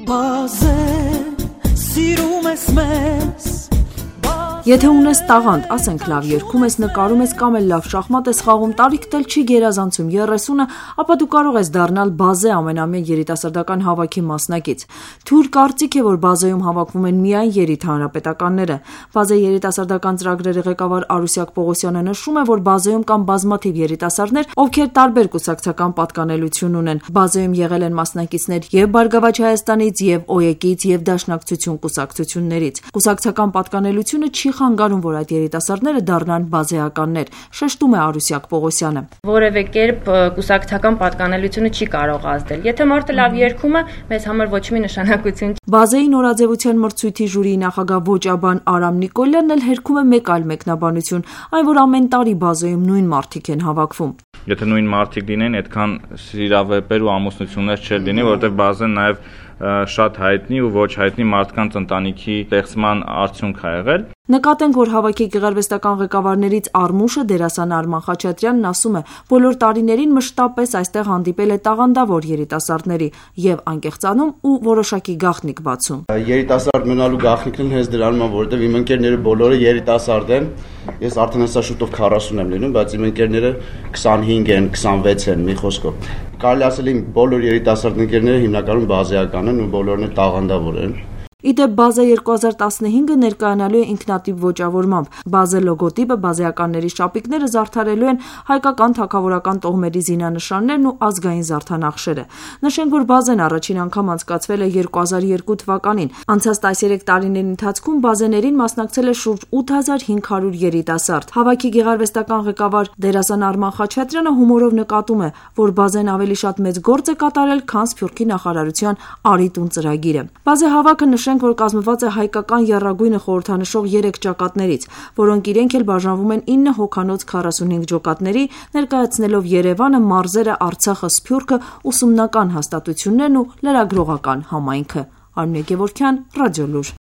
Բազե սիրում ես մեզ Եթե ունես տաղանդ, ասենք լավ երգում ես, նկարում ես կամ էլ լավ շախմատ ես խաղում, տարիքդ էլ չի գերազանցում 30-ը, ապա դու կարող ես դառնալ բազե ամենամյա երիտասարդական հավաքի մասնակից։ Թուր կարծիք է, որ բազեում հավաքվում են միայն երիտհանրապետականները։ Բազե երիտասարդական ծրագրերի ղեկավար Արուսյակ Պողոսյանը նշում է, որ բազեում կան բազմաթիվ երիտասարդներ, ովքեր տարբեր կուսակցական պատկանելություն ունեն։ Բազեում եղել են մասնակիցներ եւ Բարգավաճ Հայաստանից, եւ ՕԵԿ-ից, եւ Դաշնակցություն կուսակցություններից։ Կուսակցական պատկանելությունը չի խանգարում, որ այդ երիտասարդները դառնան բազեականներ, շեշտում է Արուսյակ Պողոսյանը։ Որևէ կերպ կուսակցական պատկանելությունը չի կարող ազդել։ Եթե մարդը լավ երգում է, մեզ համար ոչ մի նշանակություն չի։ Բազեի նորաձևության մրցույթի ժյուրիի նախագահ ոճաբան Արամ Նիկոլյանն էլ հերքում է մեկ այլ մեկնաբանություն, այն որ ամեն տարի բազեում նույն մարդիկ են հավաքվում։ Եթե նույն մարդիկ լինեն, այդքան սիրավեպեր ու ամուսնություններ չէր լինի, որովհետև բազեն նաև շատ հայտնի ու ոչ հայտնի մարդկանց ընտանիքի ստեղծման արդյունք ա եղել։ Նկատենք, որ հավաքի գեղարվեստական ղեկավարներից Արմուշը դերասան Արման Խաչատրյանն ասում է, բոլոր տարիներին մշտապես այստեղ հանդիպել է տաղանդավոր երիտասարդների եւ անկեղծանում ու որոշակի գաղտնիք բացում։ Երիտասարդ մնալու գաղտնիքն հենց դրանում է, որովհետեւ իմ ընկերները բոլորը երիտասարդ են։ Ես արդեն հեսա շուտով 40 եմ լինում, բայց իմ ընկերները 25 են, 26 են, մի խոսքով։ Կարելի ասել իմ բոլոր երիտասարդ ընկերները հիմնականում բազեական են ու բոլորն էլ տաղանդավոր են։ Իդեպ Բազե 2015-ը ներկայանալու է ինքնատիպ ոճավորմամբ։ Բազե լոգոտիպը, բազեականների շապիկները զարդարելու են հայկական թագավորական տոհմերի զինանշաններն ու ազգային զարդանախշերը։ Նշենք, որ Բազեն առաջին անգամ անցկացվել է 2002 թվականին։ Անցած 13 տարիների ընթացքում բազեներին մասնակցել է շուրջ 8500 երիտասարդ։ Հավաքի գեղարվեստական ղեկավար դերասան Արման Խաչատրյանը հումորով նկատում է, որ Բազեն ավելի շատ մեծ գործ է կատարել, քան Սփյուռքի նախարարության Արի տուն ծրագիրը։ Բազե հավաքը որ կազմված է հայկական եռագույնը խորհրդանշող 3 ճակատներից, որոնք իրենք էլ բաժանվում են 9 հոգանոց 45 ջոկատների, ներկայացնելով Երևանը, մարզերը, Արցախը, Սփյուռքը, ուսումնական հաստատություններն ու լրագրողական համայնքը։ Արմինե Գևորգյան, Ռադիոլուր։